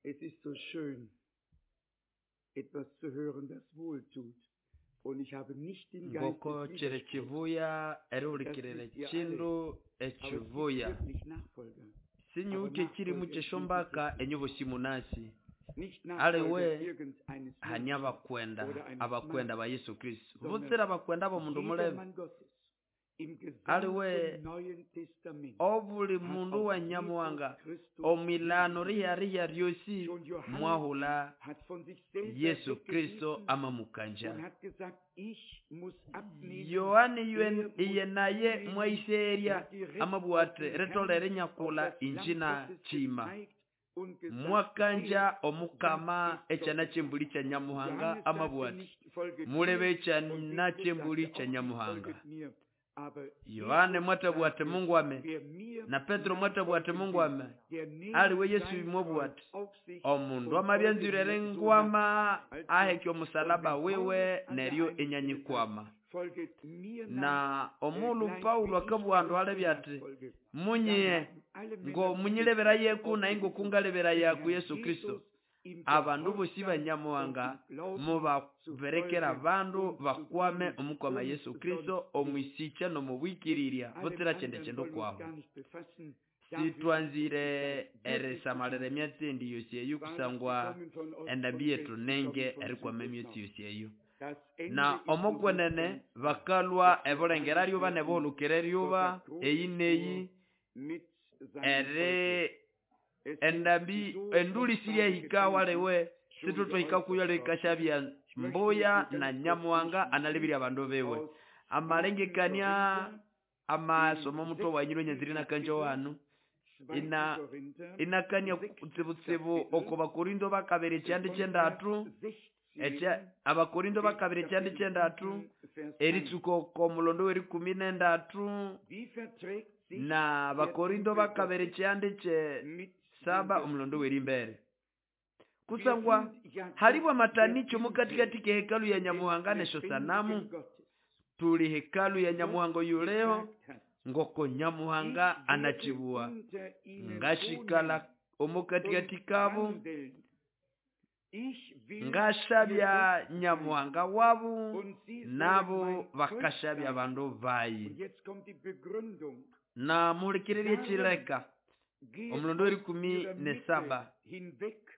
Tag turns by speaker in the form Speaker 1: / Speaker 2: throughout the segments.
Speaker 1: Es ist so schön, etwas zu hören, das wohltut. Und ich habe nicht den Geist
Speaker 2: Ngoko
Speaker 1: des
Speaker 2: chiri
Speaker 1: Widerspruchs.
Speaker 2: chivuya
Speaker 1: Das
Speaker 2: erihulikirira
Speaker 1: wisst ihr alle.
Speaker 2: chindu
Speaker 1: Aber es gibt
Speaker 2: echivuya
Speaker 1: wirklich Nachfolger.
Speaker 2: sinyuke
Speaker 1: Aber
Speaker 2: chiri
Speaker 1: Nachfolger
Speaker 2: mucheshombaka
Speaker 1: Jesus
Speaker 2: enyobosi munasi
Speaker 1: Nicht
Speaker 2: Aliwe,
Speaker 1: Nachfolger irgendeines
Speaker 2: hani
Speaker 1: Menschen
Speaker 2: abakwenda
Speaker 1: oder eines
Speaker 2: abakwenda
Speaker 1: Mannes,
Speaker 2: ba Yesu Kristo
Speaker 1: sondern
Speaker 2: butsira abakwenda bomundu
Speaker 1: jeder
Speaker 2: mulebe
Speaker 1: Mann Gottes im
Speaker 2: Aliwe,
Speaker 1: gesamten Neuen Testament
Speaker 2: obuli
Speaker 1: hat
Speaker 2: mundu
Speaker 1: auf
Speaker 2: wa
Speaker 1: Jesus
Speaker 2: nyamuhanga
Speaker 1: Christus
Speaker 2: omwilano
Speaker 1: hingewiesen.
Speaker 2: riya riya ryosi
Speaker 1: Schon Johannes
Speaker 2: mwahula
Speaker 1: hat von sich selber
Speaker 2: Yesu Kristo
Speaker 1: weggewiesen
Speaker 2: amamukanja
Speaker 1: und hat gesagt, ich muss abnehmen,
Speaker 2: Yohani
Speaker 1: er muss
Speaker 2: iye naye
Speaker 1: zunehmen. Er
Speaker 2: mwaiserya
Speaker 1: hat direkt auf
Speaker 2: amabwate
Speaker 1: den Herrn,
Speaker 2: ritolere
Speaker 1: auf
Speaker 2: nyakula
Speaker 1: das Lamm
Speaker 2: injina
Speaker 1: Gottes
Speaker 2: chima
Speaker 1: gezeigt und gesagt,
Speaker 2: mwakanja
Speaker 1: seht,
Speaker 2: omukama
Speaker 1: das ist
Speaker 2: ekyana
Speaker 1: Gottes
Speaker 2: kyembuli kya nyamuhanga
Speaker 1: Johannes sagte
Speaker 2: amabwate
Speaker 1: nicht, folget
Speaker 2: mulebe
Speaker 1: mir, und
Speaker 2: ekyana
Speaker 1: Petrus
Speaker 2: kyembuli
Speaker 1: sagte
Speaker 2: kya
Speaker 1: auch nicht,
Speaker 2: nyamuhanga
Speaker 1: folget mir. Aber
Speaker 2: Yohane
Speaker 1: Jesus
Speaker 2: mwatabwate
Speaker 1: sagte,
Speaker 2: Mungu ame
Speaker 1: wer mir
Speaker 2: na Petro mwatabwate
Speaker 1: nachfolgen
Speaker 2: Mungu
Speaker 1: will,
Speaker 2: ame
Speaker 1: der nehme
Speaker 2: aliwe Yesu
Speaker 1: sein Kreuz
Speaker 2: mwabwate
Speaker 1: auf sich
Speaker 2: omundu
Speaker 1: und folge
Speaker 2: amabyanzwirere
Speaker 1: mir so nach.
Speaker 2: ngwama
Speaker 1: Also,
Speaker 2: aheke
Speaker 1: und
Speaker 2: omusalaba
Speaker 1: wenn
Speaker 2: wiwe
Speaker 1: Paulus an der
Speaker 2: neryo
Speaker 1: einen Stelle sagt,
Speaker 2: enyanyikwama
Speaker 1: folget mir nach,
Speaker 2: na omulu
Speaker 1: gleich
Speaker 2: Paulo
Speaker 1: wie ich
Speaker 2: akabugha andu
Speaker 1: Christus
Speaker 2: alebya ati
Speaker 1: nachfolge, dann
Speaker 2: munyiye
Speaker 1: haben alle
Speaker 2: ngo
Speaker 1: Männer Gottes
Speaker 2: munyilebera yeku naye
Speaker 1: ausgerufen,
Speaker 2: ngokungalebera
Speaker 1: dem
Speaker 2: yaku
Speaker 1: Herrn
Speaker 2: Yesu Kristo
Speaker 1: Jesus im
Speaker 2: abandu bosi
Speaker 1: Gehorsam und
Speaker 2: banyamuhanga
Speaker 1: im Glauben zu
Speaker 2: mubaberekera
Speaker 1: folgen
Speaker 2: abandu
Speaker 1: und zu
Speaker 2: bakwame
Speaker 1: dienen
Speaker 2: omukwama
Speaker 1: und
Speaker 2: Yesu Kristo
Speaker 1: sonst nichts.
Speaker 2: omwisikya n'omubwikirirya
Speaker 1: Mit allem
Speaker 2: butsira kyende
Speaker 1: anderen
Speaker 2: kyendo
Speaker 1: wollen wir uns
Speaker 2: kwahu
Speaker 1: gar nicht befassen. Dafür ist uns die
Speaker 2: sitwanzire
Speaker 1: Zeit wirklich zu
Speaker 2: erisamalira
Speaker 1: knapp.
Speaker 2: emyatsi endi yosi eyo
Speaker 1: Wahrlich,
Speaker 2: kusangwa
Speaker 1: sie kommen von Ost
Speaker 2: endambi
Speaker 1: und
Speaker 2: yetu
Speaker 1: West, sie
Speaker 2: nenge
Speaker 1: kommen von
Speaker 2: erikwama
Speaker 1: Süd und
Speaker 2: emyatsi
Speaker 1: Nord.
Speaker 2: yosi eyo
Speaker 1: Das Ende
Speaker 2: na
Speaker 1: ist so
Speaker 2: omokwenene
Speaker 1: gut ganz nah.
Speaker 2: bakalwa
Speaker 1: Es wird
Speaker 2: ebulengera
Speaker 1: herrlich
Speaker 2: lyuba
Speaker 1: werden.
Speaker 2: nebuhulukira
Speaker 1: Gott
Speaker 2: eryuba
Speaker 1: hat
Speaker 2: eyi
Speaker 1: Großes vor
Speaker 2: neyi
Speaker 1: mit seinem
Speaker 2: eri
Speaker 1: Volke. Es sind
Speaker 2: endambi
Speaker 1: so
Speaker 2: enduli
Speaker 1: kostbare
Speaker 2: siryahika
Speaker 1: Gedanken
Speaker 2: waliwe
Speaker 1: schon
Speaker 2: situtwahika kuyo
Speaker 1: geäußert worden.
Speaker 2: likashabya
Speaker 1: Ich möchte
Speaker 2: mbuya
Speaker 1: mit dir
Speaker 2: na
Speaker 1: ganz kurz
Speaker 2: nyamuhanga
Speaker 1: durchlesen
Speaker 2: analibirya abandu biwe
Speaker 1: aus 1.
Speaker 2: amalengekania
Speaker 1: Korinther,
Speaker 2: amasomo
Speaker 1: dem
Speaker 2: muto wanyiro
Speaker 1: sechsten
Speaker 2: nyanziri nakanjo
Speaker 1: Kapitel,
Speaker 2: wanu
Speaker 1: 2.
Speaker 2: ina
Speaker 1: Korinther,
Speaker 2: inakania
Speaker 1: sechstes
Speaker 2: kutsibutsibu
Speaker 1: Kapitel,
Speaker 2: oko bakorindo bakabiri ekyandi
Speaker 1: von Vers
Speaker 2: kyendatu ekya
Speaker 1: 16
Speaker 2: abakorindo
Speaker 1: bis
Speaker 2: bakabiri ekyandi
Speaker 1: Kapitel
Speaker 2: kyendatu
Speaker 1: 7, Vers 1.
Speaker 2: eritsuka oko mulondo werikumi nendatu
Speaker 1: Wie verträgt sich
Speaker 2: na
Speaker 1: der
Speaker 2: bakorindo
Speaker 1: Tempel
Speaker 2: bakabiri
Speaker 1: Gottes
Speaker 2: ekyandi kye
Speaker 1: mit dem
Speaker 2: saba omulondo
Speaker 1: Götzen?
Speaker 2: werimbere
Speaker 1: Wir
Speaker 2: kusangwa
Speaker 1: sind ja
Speaker 2: halibwa
Speaker 1: doch der
Speaker 2: matanicho
Speaker 1: Tempel
Speaker 2: mukatikati ke hekalu ya
Speaker 1: des
Speaker 2: nyamuhanga nesho sanamu
Speaker 1: lebendigen Gottes.
Speaker 2: tuli hekalu ya
Speaker 1: Wie Gott
Speaker 2: nyamuhanga yuleho
Speaker 1: gesagt hat,
Speaker 2: ngoko nyamuhanga
Speaker 1: ich werde
Speaker 2: anachibuwa
Speaker 1: unter ihnen
Speaker 2: ngashikala
Speaker 1: wohnen
Speaker 2: omukatikati
Speaker 1: und
Speaker 2: kabu
Speaker 1: wandeln. Ich will ihr
Speaker 2: ngashabya
Speaker 1: Gott sein
Speaker 2: nyamuhanga wabu
Speaker 1: und sie sollen
Speaker 2: nabo
Speaker 1: mein Volk
Speaker 2: bakashabya
Speaker 1: sein.
Speaker 2: abandu bayi
Speaker 1: Und jetzt kommt die Begründung.
Speaker 2: na muhulikiririe
Speaker 1: Darum
Speaker 2: chileka
Speaker 1: geht
Speaker 2: omulondo
Speaker 1: aus
Speaker 2: werikumi
Speaker 1: ihrer
Speaker 2: ne
Speaker 1: Mitte
Speaker 2: saba
Speaker 1: hinweg und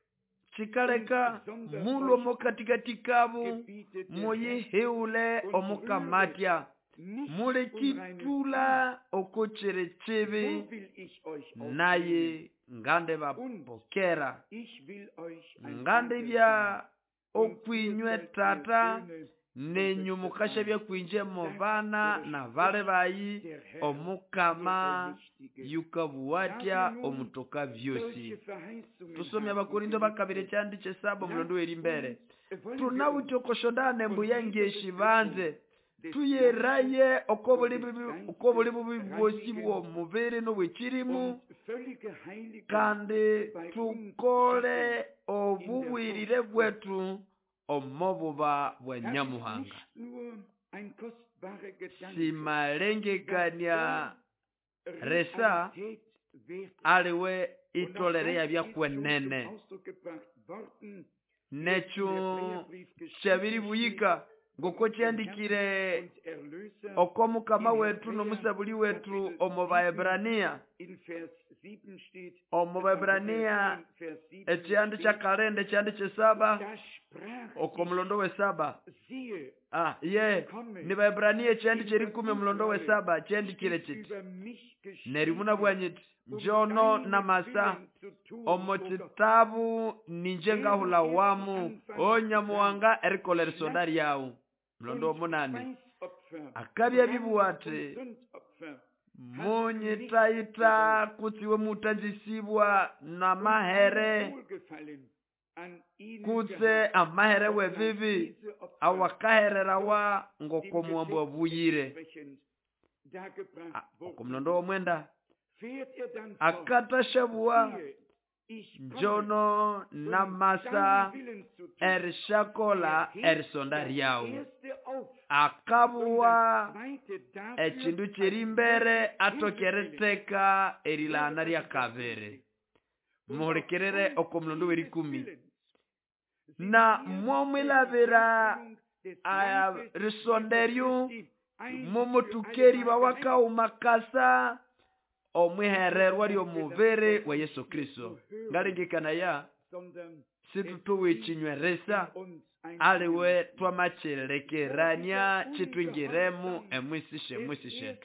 Speaker 2: chikaleka
Speaker 1: sondert
Speaker 2: mulwo
Speaker 1: euch ab,
Speaker 2: mukatikati kabu
Speaker 1: gebietet der Herr,
Speaker 2: muyihiule
Speaker 1: und rühret
Speaker 2: omukamatya
Speaker 1: nichts Unreines an.
Speaker 2: mulekitula oko chiri chibi
Speaker 1: So will ich euch aufnehmen
Speaker 2: naye ngande
Speaker 1: und
Speaker 2: bapokera
Speaker 1: ich will euch ein
Speaker 2: ngande
Speaker 1: Vater sein
Speaker 2: bya
Speaker 1: und ihr
Speaker 2: okwinywe
Speaker 1: sollt mir
Speaker 2: tata
Speaker 1: Söhne und
Speaker 2: nenyu
Speaker 1: Töchter
Speaker 2: mukasha
Speaker 1: sein,
Speaker 2: byakwinje mu
Speaker 1: sagt
Speaker 2: bana
Speaker 1: oder
Speaker 2: na bale
Speaker 1: spricht
Speaker 2: bayi
Speaker 1: der Herr, der
Speaker 2: omukama
Speaker 1: Allmächtige.
Speaker 2: yukabuwatya
Speaker 1: Da wir nun
Speaker 2: omutoka byosi
Speaker 1: solche Verheißungen
Speaker 2: tusomye
Speaker 1: haben,
Speaker 2: abakorindo bakabiri
Speaker 1: Geliebte,
Speaker 2: ekyandi kyesaba omulondo
Speaker 1: lasst
Speaker 2: werimbere
Speaker 1: uns, wollen wir uns
Speaker 2: tunawithe okoshondana
Speaker 1: von
Speaker 2: embuya
Speaker 1: Jesus
Speaker 2: ngeshi
Speaker 1: Christus
Speaker 2: banze
Speaker 1: des
Speaker 2: tuyeraye
Speaker 1: Fleisches und des
Speaker 2: okobuli
Speaker 1: Geistes
Speaker 2: bubi bwosi
Speaker 1: reinigen
Speaker 2: bw'omubiri n'obwekirimu
Speaker 1: und völlige Heiligung
Speaker 2: kandi
Speaker 1: bei uns
Speaker 2: tukole
Speaker 1: schaffen in der
Speaker 2: obubwirire
Speaker 1: Furcht Gottes.
Speaker 2: bwetu omububa bwa
Speaker 1: Das ist
Speaker 2: nyamuhanga
Speaker 1: nicht nur ein kostbarer Gedanke, dass
Speaker 2: simalengekania
Speaker 1: er
Speaker 2: resa
Speaker 1: Realität wird.
Speaker 2: aliwe
Speaker 1: Und auch
Speaker 2: itolere
Speaker 1: das ist schon zum
Speaker 2: yabyakuwenene
Speaker 1: Ausdruck gebracht worden, wie es im
Speaker 2: nekyo
Speaker 1: Hebräerbrief geschrieben
Speaker 2: kyabiri
Speaker 1: steht,
Speaker 2: buyika
Speaker 1: von
Speaker 2: ngoko
Speaker 1: unserem Herrn
Speaker 2: kyandikire
Speaker 1: und Erlöser
Speaker 2: oko mukama
Speaker 1: in
Speaker 2: wetu
Speaker 1: Hebräer
Speaker 2: n'omusabuli wetu
Speaker 1: Kapitel
Speaker 2: omu
Speaker 1: 7,
Speaker 2: baebrania
Speaker 1: in Vers 7 steht,
Speaker 2: omu
Speaker 1: also Vers
Speaker 2: baebrania
Speaker 1: 10, Vers 7
Speaker 2: ekyandi
Speaker 1: steht,
Speaker 2: kyakalenda ekyandi kyesaba
Speaker 1: da sprach
Speaker 2: oko
Speaker 1: ich,
Speaker 2: mulondo wesaba
Speaker 1: siehe,
Speaker 2: ye
Speaker 1: ich komme,
Speaker 2: ni baebrania ekyandi
Speaker 1: in
Speaker 2: kyerikumi
Speaker 1: das
Speaker 2: omulondo
Speaker 1: Israel
Speaker 2: wesaba kyandikire
Speaker 1: steht
Speaker 2: kiti
Speaker 1: über mich
Speaker 2: neryo
Speaker 1: geschrieben,
Speaker 2: munabwanyiti
Speaker 1: um
Speaker 2: njono
Speaker 1: deinen
Speaker 2: namasa
Speaker 1: Willen zu tun,
Speaker 2: omu
Speaker 1: o Gott.
Speaker 2: kitabu ninje
Speaker 1: Während
Speaker 2: ngahula
Speaker 1: er zu
Speaker 2: wamu
Speaker 1: Anfang
Speaker 2: onyamuhanga
Speaker 1: gesagt,
Speaker 2: erikolera isonda
Speaker 1: Schlacht
Speaker 2: lyawu mulondo
Speaker 1: und
Speaker 2: womunani
Speaker 1: Speisopfer,
Speaker 2: akabya
Speaker 1: Brand
Speaker 2: bibuwa
Speaker 1: und
Speaker 2: ati
Speaker 1: Sündopfer hast du nicht
Speaker 2: munyitayita
Speaker 1: gewollt
Speaker 2: kutsiwe mutanzisibwa
Speaker 1: und kein
Speaker 2: namahere
Speaker 1: Wohlgefallen an ihnen
Speaker 2: kutse
Speaker 1: gehabt,
Speaker 2: amahere
Speaker 1: obgleich
Speaker 2: webibi
Speaker 1: diese Opfer
Speaker 2: awakahererawa
Speaker 1: Gott dem
Speaker 2: ngoko muwambo
Speaker 1: Gesetz
Speaker 2: wabuyire
Speaker 1: entsprechend dargebracht
Speaker 2: oko
Speaker 1: wurden.
Speaker 2: mulondo womwenda
Speaker 1: Fährt er dann fort,
Speaker 2: akatashabuwa
Speaker 1: siehe, ich komme,
Speaker 2: njono
Speaker 1: um
Speaker 2: namasa
Speaker 1: deinen Willen zu tun.
Speaker 2: erishakola
Speaker 1: Er hebt
Speaker 2: erisonda
Speaker 1: das
Speaker 2: lyawu
Speaker 1: erste auf und
Speaker 2: akabuwa
Speaker 1: das zweite dafür
Speaker 2: ekindu
Speaker 1: als
Speaker 2: kyeri mbere
Speaker 1: nötig
Speaker 2: atoke
Speaker 1: hinzufällig.
Speaker 2: eriteka
Speaker 1: Höre,
Speaker 2: erilana
Speaker 1: was
Speaker 2: lya
Speaker 1: ich dazu
Speaker 2: kabiri
Speaker 1: steht.
Speaker 2: Muhulikirire oko mulondo w'erikumi. Na mwomwilabira risonderyo mumutukeri bawakauma kasa omwihererwa ly'omubiri wa Yesu Kristo. Ngalengekanaya situtuwichinyweresa aliwe twamachilekerania chitwingiremu emwisishe mwisishe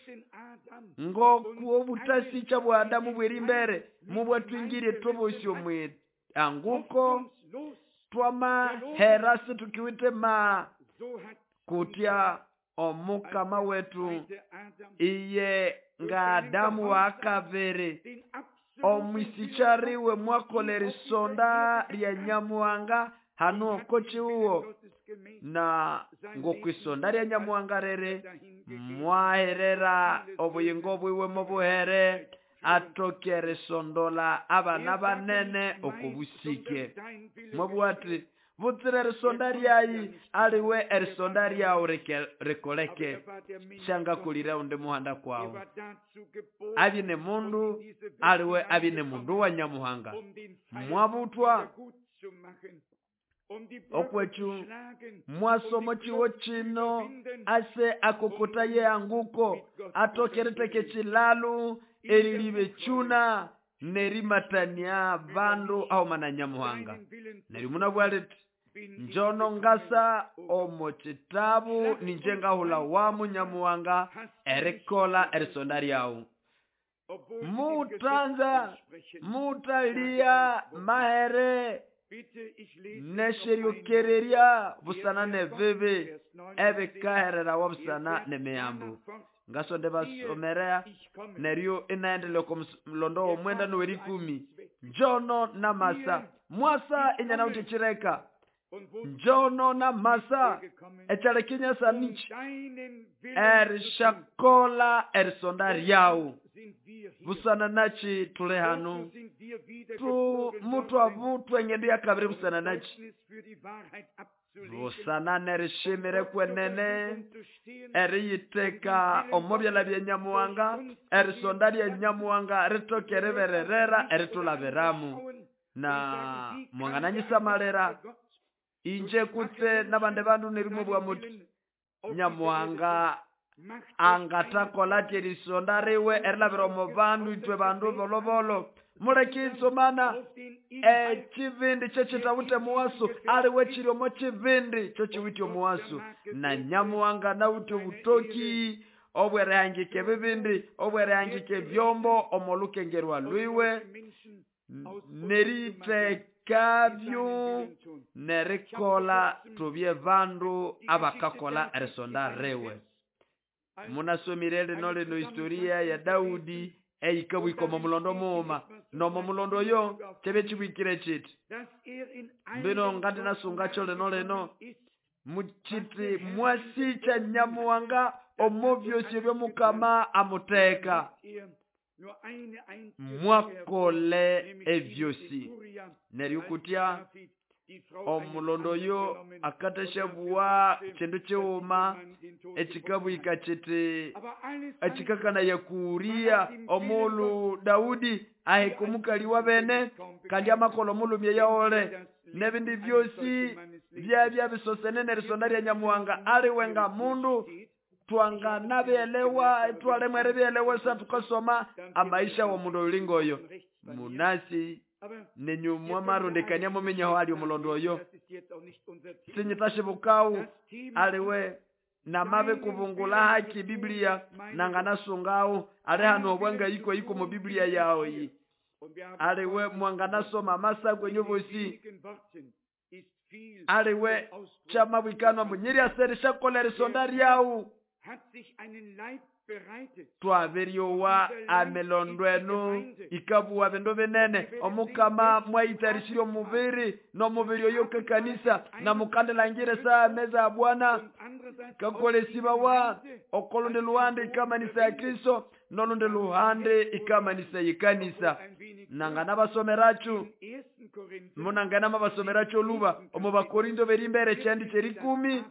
Speaker 2: ngoku obutasicha bwa Adamu bwerimbere mubwatwingire tobosyo mwe anguko twamahera situkiwite ma kutya omukama wetu iye nga Adamu wakavere omwisichariwe mwakola erisonda lya Nyamuhanga hano okochiuwo na ngokwisonda lya Nyamuhanga rere mwaherera obuyingo bwiwe mubuhere atoke erisondola abana banene okubusike. Mwabwati butsire erisonda lyayi aliwe erisonda lyawu rikoleke shangakulire undi muhanda kwawu. Abine mundu aliwe abine mundu wa Nyamuhanga. Mwabutwa okwechu mwasomo chiwo chino ase akokota ye anguko atokereteke chilalu erilibe chuna nerimatania bandu aomana Nyamuhanga. Nerimuna bwaleti njono ngasa omo chitabu ninje ngahula wamu Nyamuhanga erikola erisonda lyawu. Mutanza mutalia mahere nesheryokereria busana nebibi ebikaherera wabusana nemiyambu. Ngasonde basomerea neryo inaendelea kwa mlondo omwenda nowerikumi. Njono na masa mwasa inyana utichireka. Njono na masa echalekinya nichi erishakola erisonda lyawu. Busana nachi tule hanu tu mutu avutwe ngendo ya kabiri busana nachi busana nerishimire kwenene eriyiteka omobyala bya Nyamuhanga erisonda lya Nyamuhanga ritoke ribererera eritulabiramu. Na mwangananyisamalera inje kutse nabande bandu nerimwe bwa muti Nyamuhanga angatakola erisonda riwe erilabira omu bandu itwe bandu bolobolo. Mulekisomana ekivindi kyekitawute muwasu aliwe kiri omu kivindi kyokiwite omuwasu. Na Nyamuhanga nawute obutoki obwerehangika ebibindi obwerehangika ebyombo omu lukengerwa lwiwe neritekabyo nerikola tubye bandu abakakola erisonda riwe. Munasomire lino lino historia ya Daudi eikabwika omu mulondo muuma nomo mulondo yo chebe chibwikire chiti mbino ngati nasungacho lino lino muchiti mwasicha Nyamuhanga omu byosi ebyomukama amuteka mwakole ebyosi. Neryukutya omulondo yo akateshebuwa chindu chiuma echikabwika chiti echikakana yakuria omulu Daudi ahekumukali bene kandi amakolo mulumye yaole nebindi byosi byabya bisosene nerisonda lya Nyamuhanga aliwenga mundu twanganabyelewa twalemwere byelewa sa tukasoma amaisha wa mundu olingoyo. Munasi nenyumwa marundikania mumenyaho ali omulondo oyo sinyitashibukawu aliwe namabe kuvungula haki Biblia nanganasungawu ali hano obwanga iko iko mu Biblia yawo iyi aliwe mwanganasoma masa kwenye bosi aliwe chamabwikanwa munyiri aserishakola erisonda lyawu twaberyowa amelondwenu ikabuwa bindu binene omukama mwayitarishire omubiri n'omubiri oyo kekanisa na mukandelangire saa meza ya Bwana kakolesibawa okolundi luhande ikamanisa ya Kristo nolundi luhande ikamanisa yikanisa. Nangana basomerachu munangana mabasomerachu oluba omu Bakorinto berimbere chendi cherikumi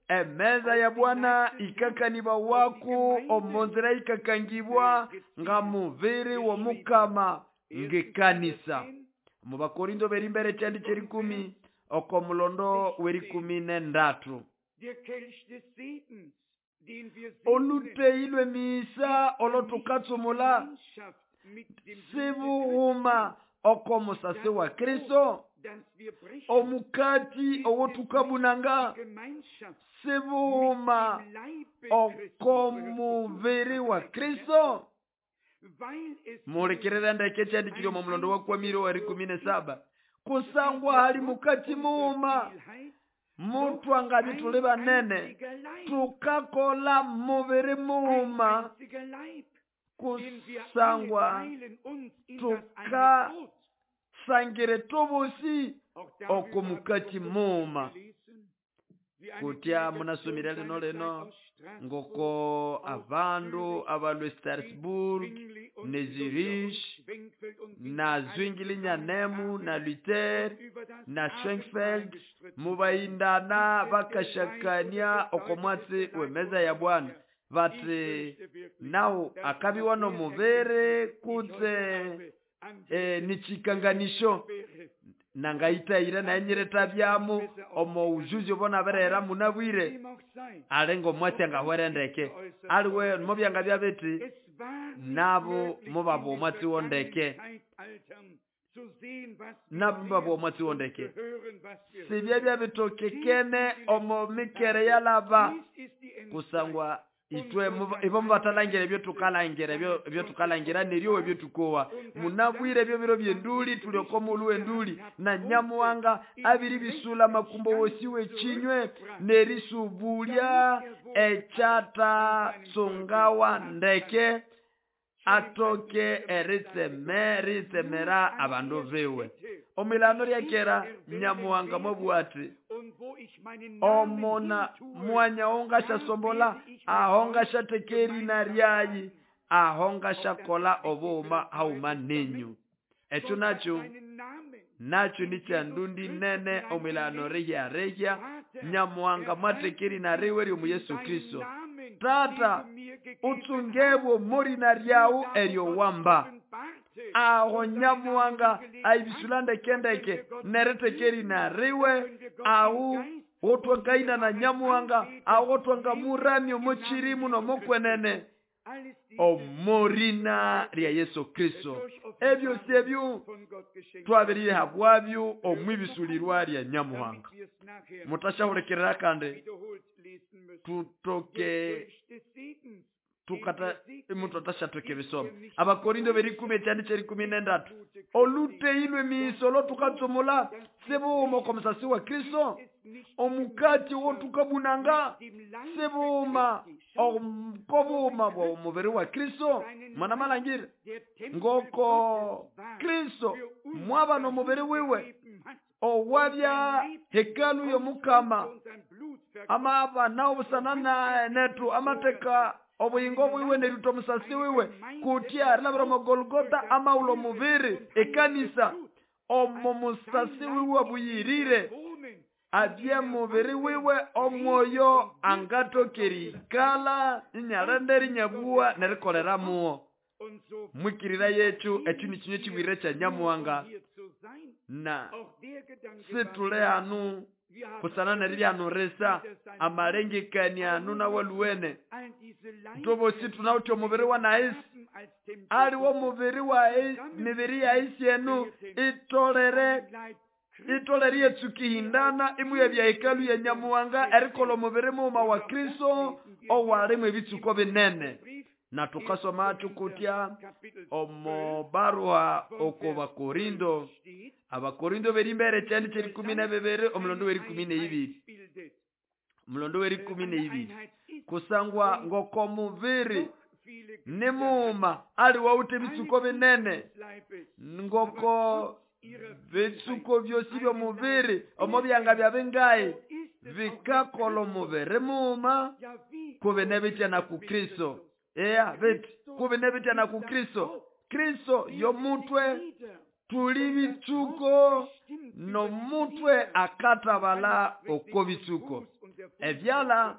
Speaker 2: emeza ya Bwana ikakaniba waku omonzera ikakangibwa nga mubiri wa mukama Ngekanisa mu Bakorindo berimbere kyandi kyerikumi oko mulondo werikumi nendatu. Oluteyi lw'emisa olotukatsumula sibughuma oko musasi wa Kristo, omukati owotukabunanga sibughuma oko mubiri wa Kristo. Muhulikirire ndeke kyandikirwe omu mulondo wa kwamire werikumi nesaba. Kusangwa hali mukati mughuma mutwangabi tuli banene tukakola mubiri mughuma kusangwa tukasangire tubusi oko mukati mughuma. Kutya munasomire lino lino ngoko abandu abalwe Strasbourg ne Zurich na Zwingli Nyanemu na Luther na Schwenkfeld mubayindana bakashakania oko mwatsi wemeza ya Bwana bati nawu akabiwa nomubiri kutse nichikanganisho nangaitayira nanyireta byamu omo ujuzi obona berera munabwire alengo mwatsi angahwere ndeke aliwe mobyanga byabeti nabo mubabo omwatsi wondeke nabo mubabo omwatsi wondeke sibye byabitokekene omo mikere yalaba kusangwa itwe ibo mubatalangira ebyo tukalangira ebyo tukalangira neryo ebyo tukowa munabwire ebyo biro byenduli tulyoko mulu enduli na Nyamuhanga abiri bisula makumbo wosiwe chinywe nerisubulia echata tsungawa ndeke atoke eritsemera abandu biwe. Omilano lyakera Nyamuhanga mwabwati omona mwanya ongasha sombola ahongasha tekeri na ryayi ahongasha kola obuuma hauma ninyu. Ekyo nakyo nakyo ni kyandundi nene omilano rehya rehya Nyamuhanga mwatekeri na riwe ryomu Yesu Kristo. Tata utsungebwo mori na ryawu eryo wamba aho Nyamuhanga aibisula ndekendeke neretekeri na riwe ahu otwangaina na Nyamuhanga aho otwanga muramyo mochirimu nomokwenene omorina lya Yesu Kristo. Ebyo syebyo twabirire habwabyo omwibisulirwa lya Nyamuhanga. Mutashahulikirira kandi tutoke tukata imuntu atashatoke bisoma. Abakorindo berikumi ekyandi kyerikumi nendatu. Oluteilwe miisolo tukatsumula sibuuma oko musasi wa Kristo, omukati wotukabunanga sibuuma okobuuma bwa omubiri wa Kristo. Mwana malangire ngoko Kristo mwaba nomubiri wiwe owabya hekalu yomukama amaba nawo busana netu amateka obuyingo bwiwe neruto musasi wiwe kutya rilabira omu Golgotha amaulo mubiri ekanisa omo musasi wiwe buyirire abye mubiri wiwe omwoyo angatokerikala inyalende rinyabuwa nerikolera muwo. Mwikirira yetu ekyo ni kinyo kibwire kya Nyamuhanga na situle hanu kusana neriryanurisa amalengekania anu nawaluwene ntobosi tunawutya omubiri wa naisi aliwo mubiri wa mibiri ya isi enu itolere itolere yetsukihindana imuye bya hekalu ya Nyamuhanga erikola omubiri muuma wa Kristo owalimu ebitsuko binene. Na tukasoma tukutya omo baruha oko Bakorindo Abakorindo berimbere kyandi kyerikumi na bibiri omulondo werikumi neibiri omulondo werikumi neibiri kusangwa ngoko mubiri nimuuma aliwawutha ebitsuko binene ngoko bitsuko byosi byomubiri omo byanga byabengayi bikakola omubiri muuma kubine bitya na ku Kristo. Eya beti kubine bitya na ku Kristo. Kristo yomutwe tuli bitsuko nomutwe akatabala oko bitsuko ebyala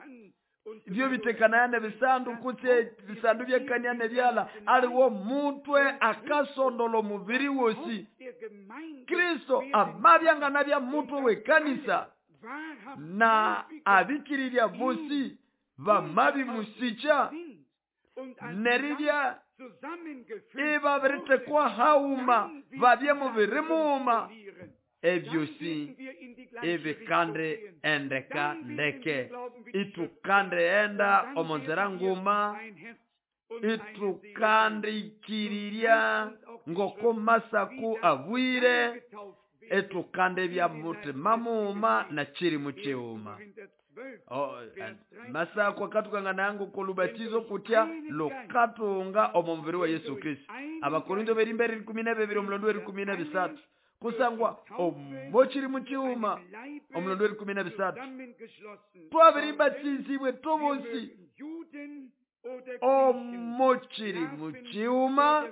Speaker 2: Byo bitekanaya nebisandu kutse bisandu byekania nebyala. Aliwo mutwe akasondola omubiri wosi. Kristo amabyangana bya mutwe w'ekanisa na abikiriria bosi bamabi musicha neribya ibabiritekwa hauma babye mubiri muuma. Ebyosi ebikande endeka ndeke itukande enda omonzera nguma itukandikiriria ngoko masaku abwire etukande bya mutima muuma na chiri muchiuma. Masaku akatukanga nangu kolubatizo kutya lukatunga omumubiri wa Yesu Kristo. Abakorinto berimbere 12 omulondo 13 kusangwa omochiri muchiuma omulondo 13 twabiribatizibwe tobosi omochiri muchiuma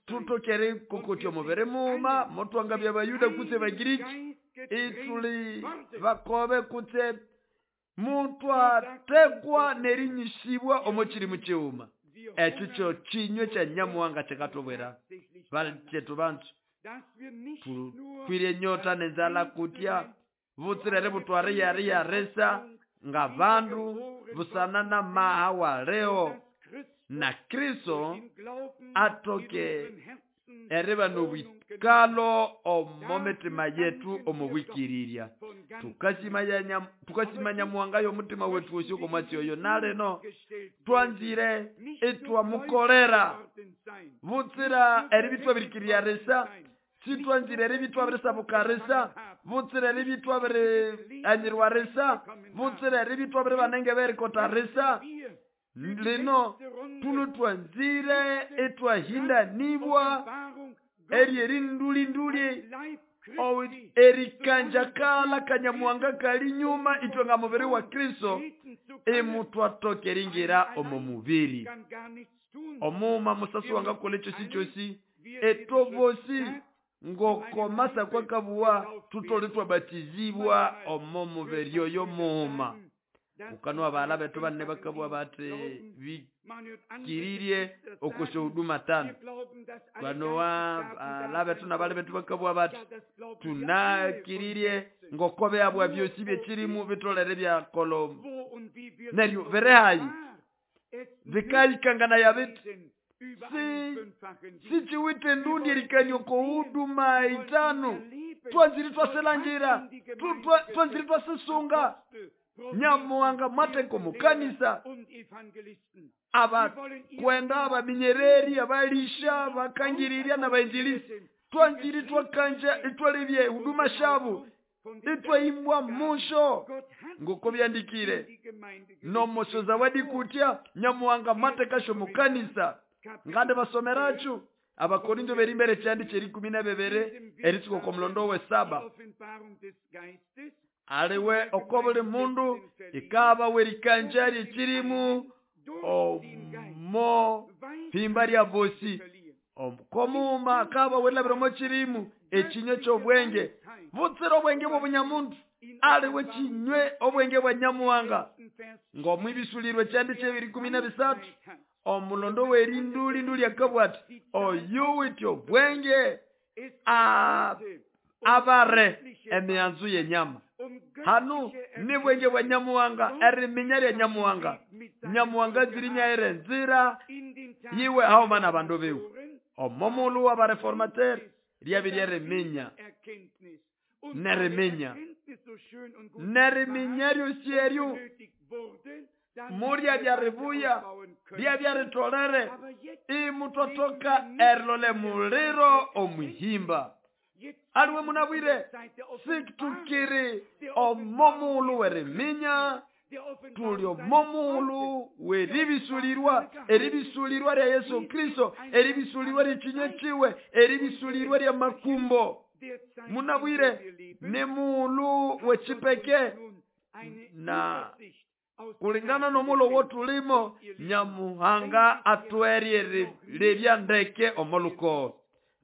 Speaker 2: tutokere kokotya omubiri muuma motwanga bya Bayuda kutse Bagiriki ituli bakobe kutse mutwatekwa nerinyisibwa omochiri muchiuma. Ekyo kyo kinywe kya Nyamuhanga kyekatobwera balitetu bantu tukwire nyota nenzala kutya butsirere butware yari yaresa nga bandu busana na maha wa leo na Kristo atoke eriba nobwikalo omomitima yetu omubwikirirya. Tukasimanya Nyamuhanga y'omutima wetu wosi okomwatsi oyo naleno twanzire etwamukolera butsira eribitwabirikirya resa sitwanzire eribitwabirisabuka butsira eribitwabirianyirwa resa butsira eribitwabiribanenge berikota resa. Lino tuno twanzire etwahindanibwa eri erindulinduli erikanjakala Kanyamuhanga kali nyuma itwe nga mubiri wa Kristo emutwatokeringira omo mubiri. Omuma musasu wangakola ekyosi kyosi etobosi ngoko masa kwa kabuwa tutole twabatizibwa omo mubiri oyo muuma. Ukanwa abala betu banne bakabuwa bate bikiririe okosho huduma 5. Banowa abala betu nabale betu bakabuwa bate tunakiririe ngokobe abwa byosi byekirimu bitolere bya kolo neryo verehayi bikalikangana ya bitu sichiwite ndundi erikanyo ko huduma 5 twanziri twaselangira twanziri twasesunga Nyamuhanga mwateko mukanisa abakwenda abaminyereri abalisha bakangiriria n'abainjilisi twanziri twakanja itwalebye huduma shabu itwaimbwa musho ngoko byandikire nomosho zawadi kutya Nyamuhanga mwatekasho mukanisa ngande basomerachu. Abakorinto berimbere kyandi kyeri 12 eritsuko ko mulondo we 7 aliwe okobuli mundu ikaba werikanjari chirimu omo pimba lya bosi omukomuma akaba welabira chirimu ekinyo ky'obwenge butsira obwenge bw'obunyamuntu aliwe kinywe obwenge bwa Nyamuhanga ng'omwibisulirwe kyandi kyebiri 13 omulondo werinduli nduli akabwati oyu wityo obwenge abare emianzu yenyama. Hanu ni bwenge bwa Nyamuhanga eriminya lya Nyamuhanga. Nyamuhanga zirinya ere nzira yiwe aho mana bandu biwe omomulu wa bareformateur lyabiri eriminya neriminya neriminya lyosieryu murya byaribuya byabyaritolere imutotoka erilole muliro omuhimba. Aliwe munabwire situkiri omomulu weriminya tuli omomulu weribisulirwa eribisulirwa lya Yesu Kristo eribisulirwa lyekinye kiwe eribisulirwa lya makumbo. Munabwire ne mulu wechipeke na kulingana nomulo wotulimo Nyamuhanga atwerie lebya ndeke omoluko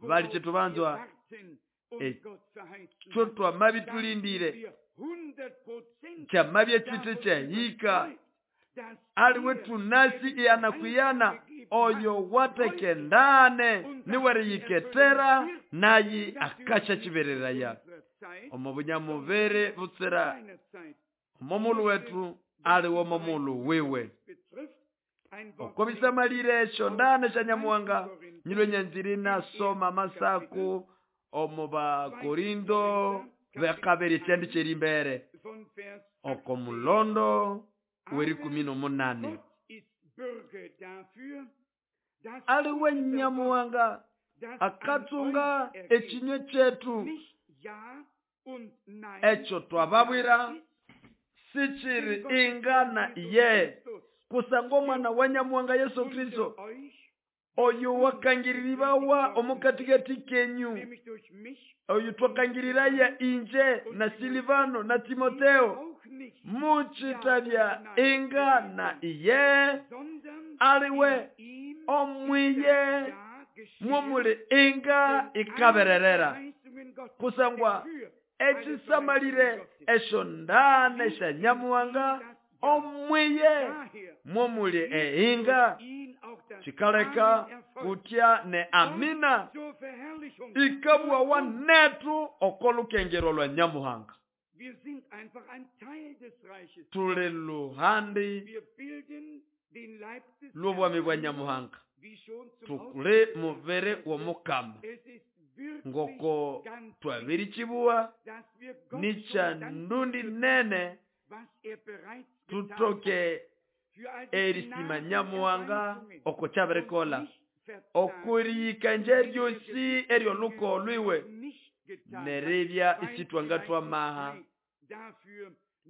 Speaker 2: bali chetubanzwa ekyo mabitulindire kyamabye chite kyahika Aliwe tunasi iyana kwiyana oyo watekendane niweriyiketera nayi akasha chibereraya omo bunyamubiri butsira omomulu wetu aliwe omomulu wiwe. Oko bisamalire esyo ndane sya Nyamuhanga nyilwe nyanziri nasoma masaku omo Bakorindo bekabiri ekyandi kyerimbere oko mulondo w'erikumi n'omunane. Aliwe Nyamuhanga akatsunga ekinywe kyetu ekyo twababwira sichiri ingana iye kusangwa omwana wa Nyamuhanga Yesu Kristo oyo wakangiriribawa omukatikati kenyu oyo twakangiriraya inje na Silivano na Timoteo muchitabya ingana iye aliwe omwiye mwomuli inga ikabererera kusangwa echisamalire esyo ndane sya Nyamuhanga omwiye mwomuli einga chikaleka kutya ne amina ikabwawa netu okolukengero lwa Nyamuhanga. Tuli luhandi lw'obwami bwa Nyamuhanga, tukuli mubiri w'omukama ngoko twabirichibuwa nicha ndundi nene tutoke erisima Nyamuhanga oko kyabirikola okuriyikanja eryosi eryoluko lwiwe neribya isitwanga twamaha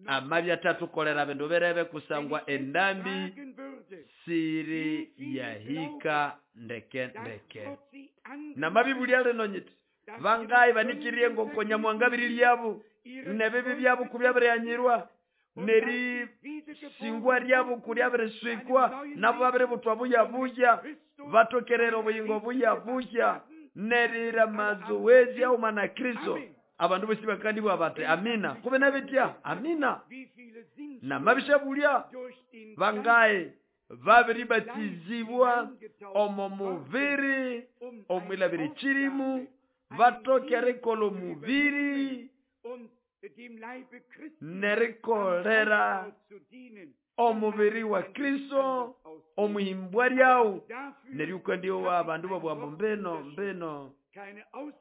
Speaker 2: amabya tatukolera bindu birebe kusangwa endambi siri yahika ndeke ndeke. Namabibulya lino nyiti bangayi banikirie ngoko Nyamuhanga biri nebibi byabo kubyabiriyanyirwa neri singwa ryabo kuryabiriswikwa nabo babiributwa buya buya batokerera obuyingo buya buya nerira mazoezi auma na Kristo. Abandu bosi bakandibwa bati amina kube nabitya amina. Namabishabulya bangaye babiribatizibwa omo mubiri omwilabiri chirimu batokere mubiri nerikolera omubiri wa Kristo omuhimbwa ryawu neryukandiwa abandu babwambo mbeno mbeno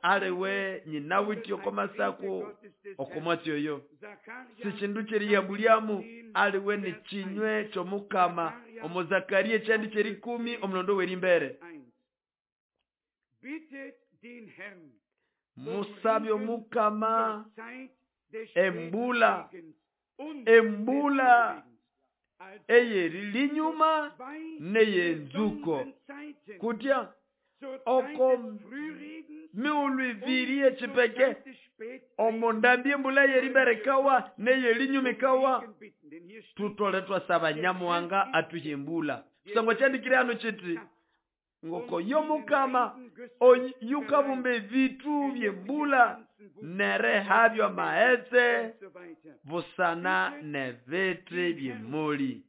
Speaker 2: aliwe nyina wityo komasako okomwatsi oyo sichindu kyeriyambulyamu aliwe ni chinywe kyomukama omo Zakaria ekyandi kyerikumi omulondo w'erimbere. Musabye omukama embula embula eyerilinyuma neyenzuko kutya oko miulu ibiri echipeke omondambi embula yerimbere kawa neyelinyuma ikawa tutole twasaba Nyamuhanga atuhe embula kusangwa kyandikire hano kiti ngoko yomukama oyukabumba ebitu byembula nerehabyo amaghetse busana nebiti byemuli.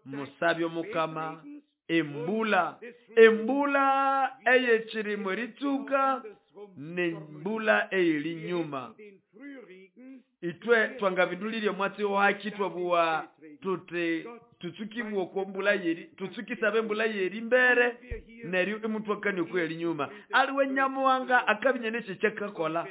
Speaker 2: Musabye omukama embula embula eyekirimu eritsuka nembula eyerinyuma. Itwe twangabindulirye omwatsi waki twabuwa tuti tutsukibwa oko mbula yeri tutsukisaba embula yeri mbere neryo imutwakania oko erinyuma. Aliwe Nyamuhanga akabinya nekyo kyakakola.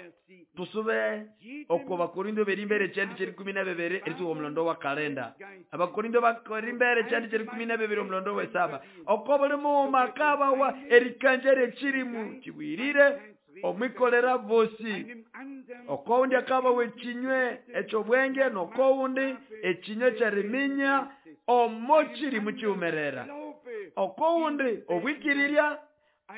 Speaker 2: Tusube oko Bakorindo berimbere ekyandi kyerikumi na bibiri eritsuka omulondo wa kalenda. Abakorindo bakorimbere ekyandi kyerikumi na bibiri omulondo w'esaba. Oko buli mughuma akabawa erikanja eryekirimu kibwirire omwikolera bosi. Okowundi akabawa ekinywe ekyobwenge nokowundi ekinywe kyeriminya omo kirimu kiwumerera. Okowundi obwikirirya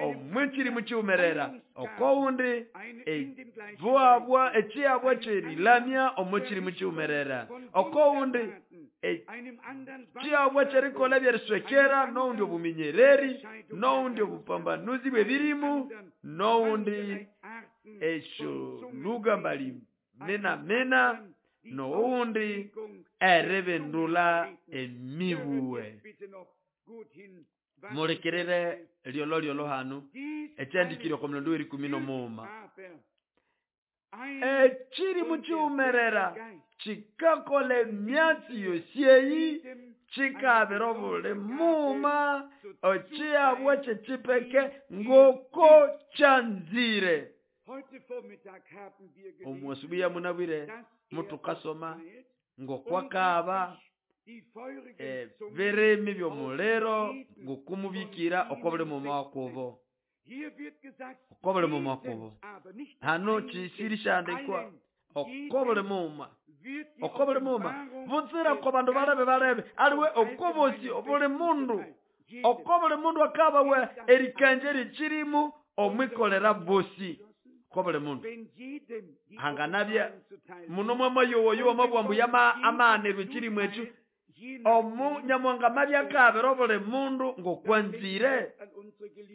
Speaker 2: omwikirimu kiwumerera. Okowundi evuabwa ekyabwa kyerilamya omo kirimu kiwumerera. Okowundi ekyabwa kyerikola byeriswekera nowundi obuminyereri nowundi obupambanuzi bw'ebirimu nowundi esyo luga mbali mena mena Nowundi eribindula emibuwe. Mulikirire lyolo lyolo hanu ekyandikire oko mulondo w'erikumi n'omughuma. Ekiri mukiwumerera kikakola emyatsi yosi eyi, kikabira obuli mughuma ekyiyabwa ky'ekipeke ngoko kyanzire. Omu asubuhi ya munabwire mutukasoma ngokwakaba ebirimi by'omuliro ngokumubikira oko buli mughuma wakubo. Oko buli mughuma wakubo. Hano kisiri kyandikwa oko buli mughuma. Oko buli mughuma. Butsira ko bandu balebe balebe aliwe oko bosi buli mundu. Oko buli mundu akabawe erikanja erikirimu omwikolera bosi. Oko buli mundu. Hanganabya muno mwamayowo yowo mabwambu yama amaanirwe ekirimu ekyo. Omu Nyamuhanga mabya akabira obuli mundu ngokwanzire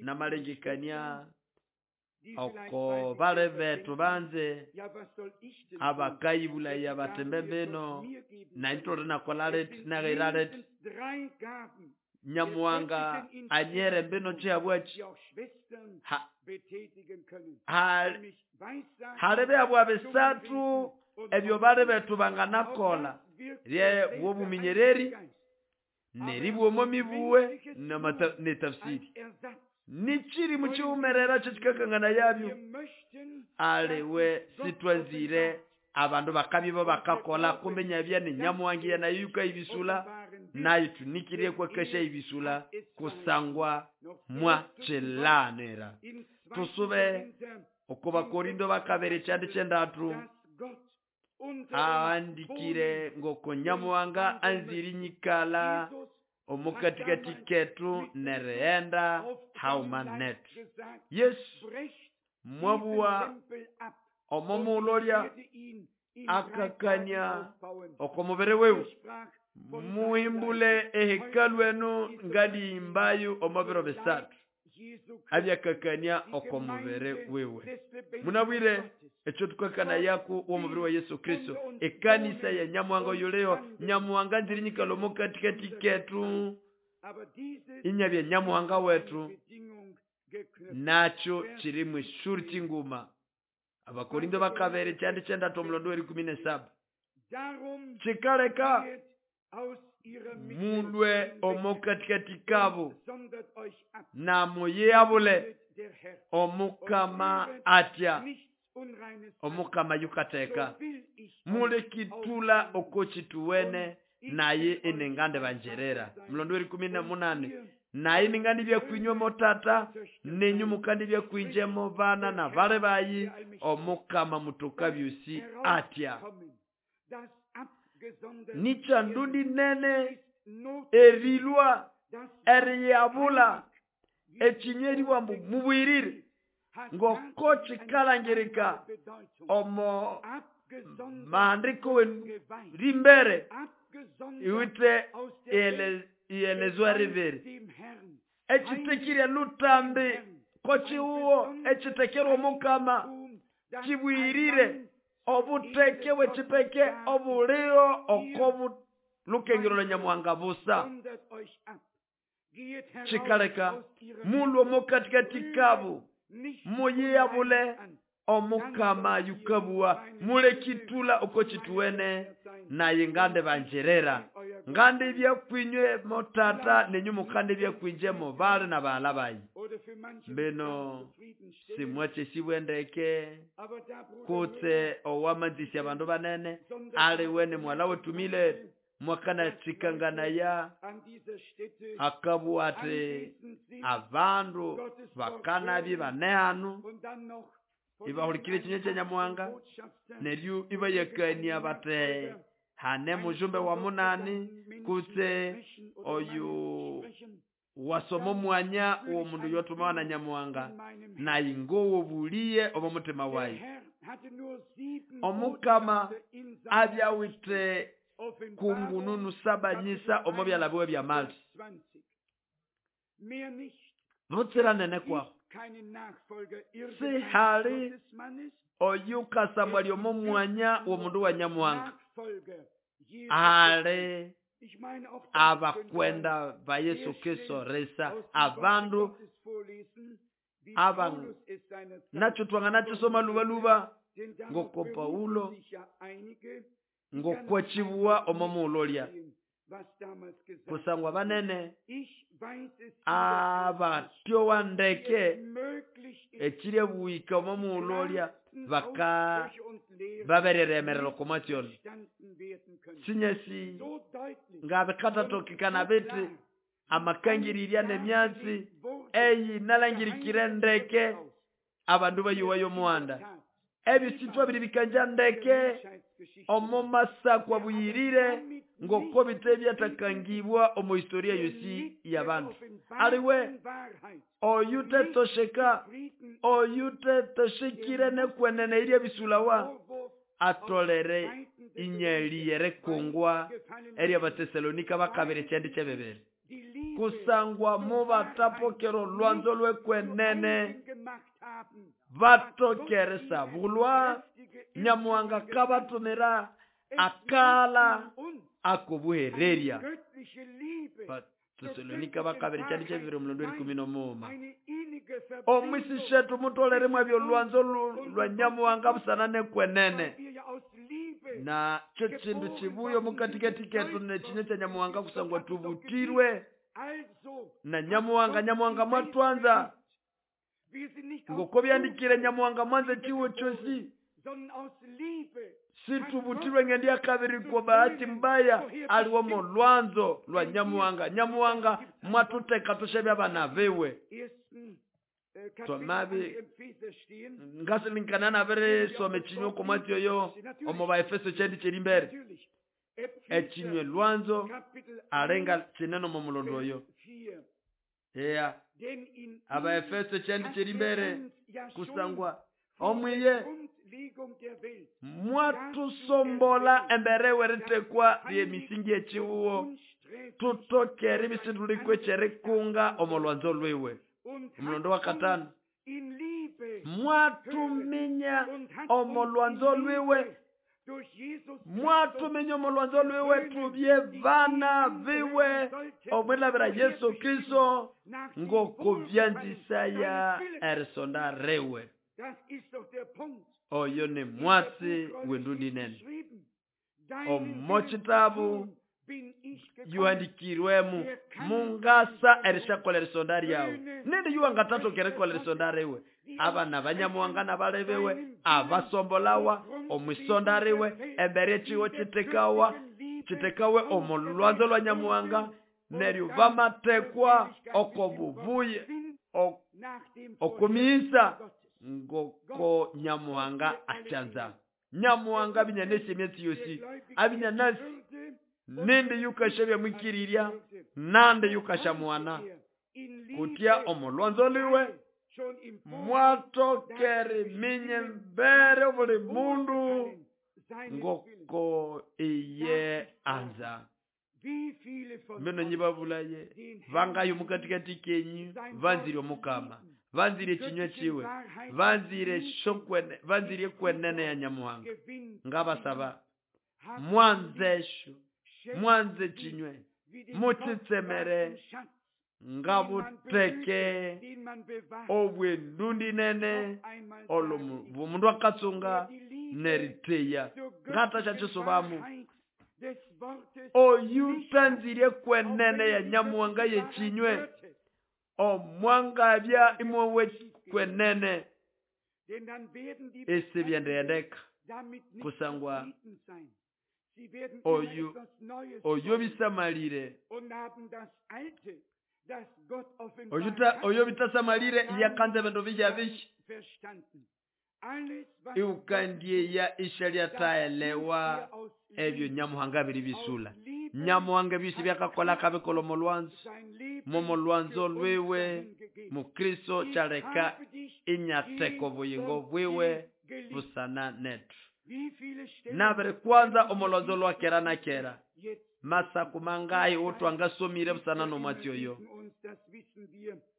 Speaker 2: namalengekania oko bale bethu banze abakayibulaya batembe bino naintore nakola leti nagaira leti Nyamuhanga anyere mbino kyabwachi halebe abwa bisatu ebyo bale bethu banganakola rye bwobuminyereri neribwomo mibuwe netafsiri nichiri muchiumerera kyekikakangana yabyo aliwe sitwanzire abandu bakabibo bakakola kumenya bya ni Nyamuhanga nayo yukayibisula nayo tunikirie kwa kesha ibisula kusangwa mwa chilanira. Tusube oko Bakorindo bakabere kyandi kyendatu aandikire ngoko Nyamuhanga anziri nyikala omukatikati ketu nereenda hauma netu. Yesu mwabuwa omomulolya akakania okomubere wewe muhimbule ehekalu enu ngaliyimbayo omubiro bisatu abyakakania okomubere wewe. Munabwire ekyo tukakana yaku w'omubiri wa Yesu Kristo ekanisa ya Nyamuhanga yuleyo Nyamuhanga nziri nyikalo mukatikati ketu inyabya Nyamuhanga wetu nakyo kiri mwishuri kinguma. Abakorindo bakabere kyandi kyendatu omulondo w'erikumi n'esaba kikaleka mulwe omukatikati kabo na muyeyabule omukama atya omukama yukateka mulekitula okokituwene naye enengande banjerera. Mulondo w'erikumi n'omunane naye ningandi byakwinywemo motata nenyu mukandi byakwinjemo bana na bale bayi omukama mutoka byusi atya. Nicha ndundi nene erilwa eriyabula ekinyeri bwambu mubwirire ngoko kikalangirika omo maandiko rimbere iwite ielezwa riveri ekitekirya lutambi kochiuwo ekitekerwa omukama kibwirire obuteke bwekipeke obuliro okobu lukengero lwa Nyamuhanga busa kikaleka mulwo omukatikati kabo muyeyabule omukama yukabuwa mulekitula okokituwene naye ngande banjerera ngande byakwinywe motata nenyu mukande byakwinjemo bale na bala bayi mbeno simwache sibwendeke kutse owamanzisya abandu banene ali wene mwala wetumile mwakana tsikangana ya akabu ati abandu bakanabi banehanu ibahulikire kinyo kya Nyamuhanga neryo ibayakania bate hane mujumbe wa munani kutse oyu wasoma mwanya uwo mundu yotumawa na Nyamuhanga naye ngowo buliye obo mutima wayi. Omukama abyawite kungununu saba nyisa omo byalabiwe bya mali butsira nene kwaho sihali oyukasamwa lyomo mwanya w'omundu wa Nyamuhanga Ali abakwenda ba Yesu Kristo risa abandu aba nacho twangana lubaluba ngoko Paulo ngokwachibuwa omomuulolya kusangwa banene abatyowa ndeke ekiri buika omomuulolya baka babereremerero komatyona sinyesi ngabikathatokekana biti amakangirirya nemyatsi eyi nalangirikire ndeke abandu bayuwayo omuhanda ebyo sitwabiri bikanja ndeke omo masakwa buyirire ngoko bite byatakangibwa omu historia yosi y'abandu. Aliwe oyutetosheka oyutetoshekire nekwenene irya bisulawa atolere inyeli yerekungwa erya Batesalonika bakabiri kyendi kyebebere kusangwa mubatapokero lwanzo lwekwenene batokeresa bulwa Nyamuhanga kabatumira akala akobuhereria. Batesalonika bakabiri kyendi kyebebere omulondo 11. Omwisi shetu mutolere mwabyo lwanzo lwa Nyamuhanga busana nekwenene na kyo kindu kibuyo mukatikati ketu nekinye kya Nyamuhanga kusangwa tubutirwe na Nyamuhanga. Nyamuhanga mwatwanza ngoko byandikire Nyamuhanga mwanze chiwo chosi situbutirwe ngendi akabiri kwa bahati mbaya aliwo mu lwanzo lwa Nyamuhanga. Nyamuhanga mwatuteka tushebya abana bewe twamabi ngasilinkana nabere some chinyo komwatyoyo omu Baefeso kyendi kiri mbere ekinywe lwanzo alenga kinene omu mulondo oyo. Eya Abaefeso kyendi kiri mbere kusangwa omwiye mwatusombola embere weritekwa ly'emisingi ekiwuwo tutokere ebisindulikoe kyerikunga omu lwanzo lwiwe. Omulondo wa katano mwatuminya omu lwanzo lwiwe mwatuminya omu lwanzo lwiwe tubye bana biwe omwilabira Yesu Kristo ngokubyanzisaya erisonda riwe. Oyo ni mwatsi wendundi nene omo kitabu yuhandikirwemu mungasa erishakola erisonda ryawe nindi yuwangatatoka erikola erisonda riwe. Abana banyamuhanga nabalebewe abasombolawa omwisonda riwe embere ekiwo kitekawa kitekawe omu lwanzo lwa Nyamuhanga neryo bamatekwa okobubuye okumisa ngoko Nyamuhanga achanza. Nyamuhanga binyanesi emyatsi yosi abinyanasi nindi yukashabya mwikirirya nandi yukashamuana kutya omulwanzo liwe mwatokere minye mbere buli mundu ngoko iye anza. Mino nyibabulaye vangayo mukatikati kenyu vanzire omukama vanzire kinywa kiwe vanzire shokwene vanzire kwenene ya Nyamuhanga ngabasaba mwanzesho mwanze kinywe mutitsemere ngabuteke obwendundi nene olo mundu akatsunga neriteya ngatasha chisobamu oyutanzire kwenene ya Nyamuhanga yekinywe omwangabya imwewe kwenene esi byendeyendeka kusangwa oyo bisamalire oyo bitasamalire yakanze bindu bijya bishi iukandie ya ishalyataelewa ebyo Nyamuhanga biri bisula. Nyamuhanga bisi byakakola kabikola omulwanzo momulwanzo lwiwe Mukristo kyaleka inyateko buyingo bwiwe busana netu. Nabere kwanza omulwanzo lwa kera na kera masaku mangayi otwangasomire busana nomwatyoyo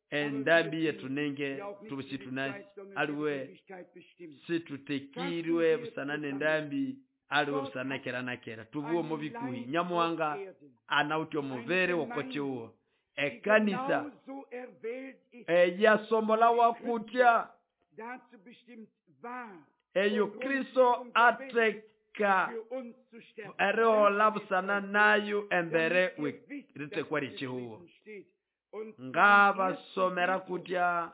Speaker 2: endambi yetu nenge tubushitunasi aliwe situtekirwe busana nendambi Aliwe busana kera na kera tubuwe omo bikuhi Nyamuhanga anawuthe omubiri woko kiwuwo ekanisa eyasombola wakutya eyo Kristo ateka erihola busana nayo embere ritekwa ryekihugo. Ngabasomera kutya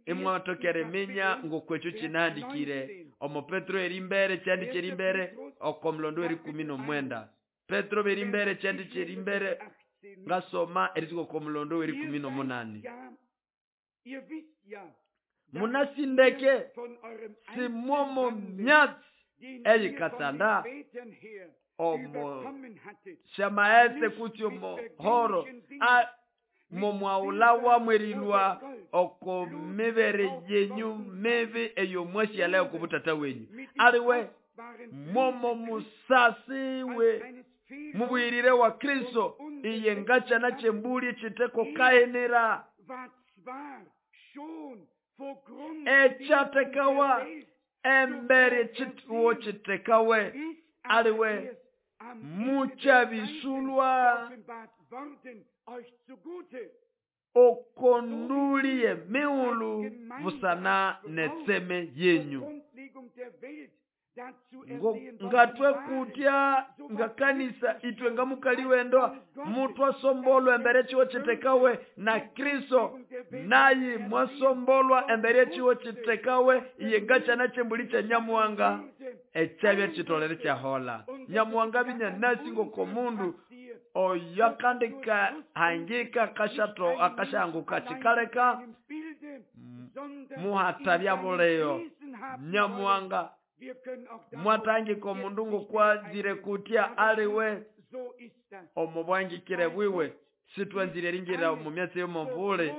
Speaker 2: imwatokere eminya ngokwekyo kinahandikire omo Petro erimbere kyandikire erimbere oko mulondo eri 19. Petro berimbere kyandikire erimbere ngasoma eritsuka oko mulondo eri 18. Munasindeke simomo myatsi eyikatsanda omo shamaetse kutsi omo horo momwaula mwerilwa oko mibere yenyu mibi eyo mwashiala okubutata wenyu. Aliwe momo musasiwe mubwirire wa Kristo iye ngachana chembuli chiteko kaenera echatekawa embere chituo chitekawe. Aliwe muchabisulwa okondulie miulu busana netseme yenyu. Ngatwe kutya ngakanisa itwe ngamukaliwendo mutwasombolwa embere chiwo chitekawe na Kristo nayi mwasombolwa embere chiwo chitekawe iye ngachana chembuli cha Nyamuhanga echabya chitolere chahola. Nyamuhanga binya nasi ngokomundu oyakandika hangika kashato akashanguka chikaleka muhatabya buleyo. Nyamuhanga mwatangika omundu ngokwanzire kutya aliwe omubwangikire bwiwe sitwanzire ringira omu myatsi y'omuvule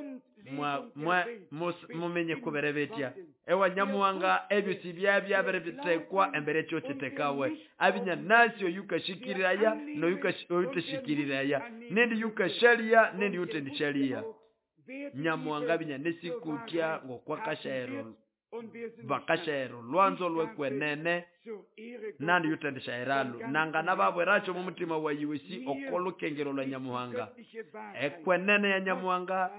Speaker 2: mumenye kubere betya. Ewa Nyamuhanga ebyo sibyabya bitekwa embere kyo kitekawe. Abinya nasi oyukashikiriraya noyuteshikiriraya nendi yukashalia nendi yutendishalia. Nyamuhanga binya nesikutya ngokwakashero bakashero lwanzo lwekwenene nandi yutendishaeralu nangana babweracho mu mutima wa yiwesi okolukengero lwa Nyamuhanga. Ekwenene ya Nyamuhanga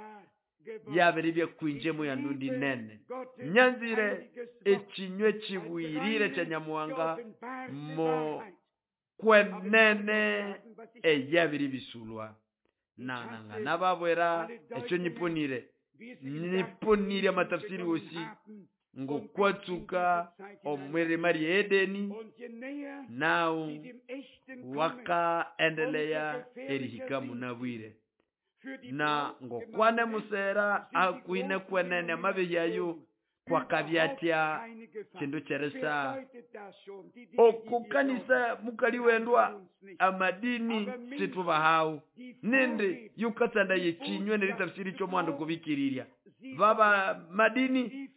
Speaker 2: yabiribye kwinjemo ya ndundi nene. Nyanzire ekinywe kibwirire kya Nyamuhanga mo kwenene eyabiri bisulwa. Nangana babwera ekyo nyipunire nyipunire amatafsiri wosi ngokwatsuka omwirima rye Edeni nao wakaendelea erihika munabwire na ngokwane musera akwine kwenene amabeyayo kwakabyatya kindu kyeresa okukanisa mukaliwendwa amadini situbahau nindi yukatsanda yekinywe neritafsiri kyomwandu kubikirirya baba madini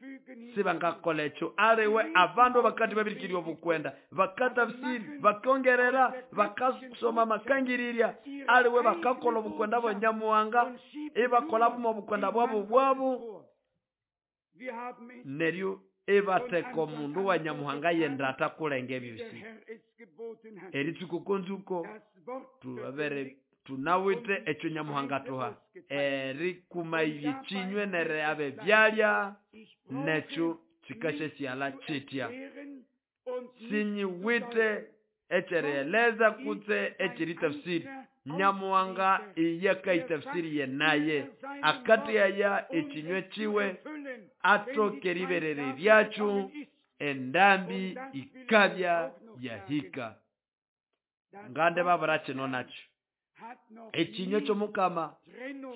Speaker 2: sibangakolecho aliwe abandu bakati babirikirya obukwenda bakatafsiri bakongerera bakasoma makangirirya aliwe bakakola obukwenda bwa Nyamuhanga ibakola bumo obukwenda bwabo bwabo neryo ebateka omundu wa Nyamuhanga yenda atakulenga ebyosi eritsuko konzuko tubabere tunawite ekyo Nyamuhanga tuha erikuma ibyekinywe nere abe byalya nekyo kikashe syala kitya sinyiwite ekyereleza kutse ekyiritafsiri. Nyamuhanga iyakaitafsiri yenaye akati aya ekinywe kiwe atoke riberere ryakyo endambi ikabya yahika. Ngande babura kino nakyo ekinywe ky'omukama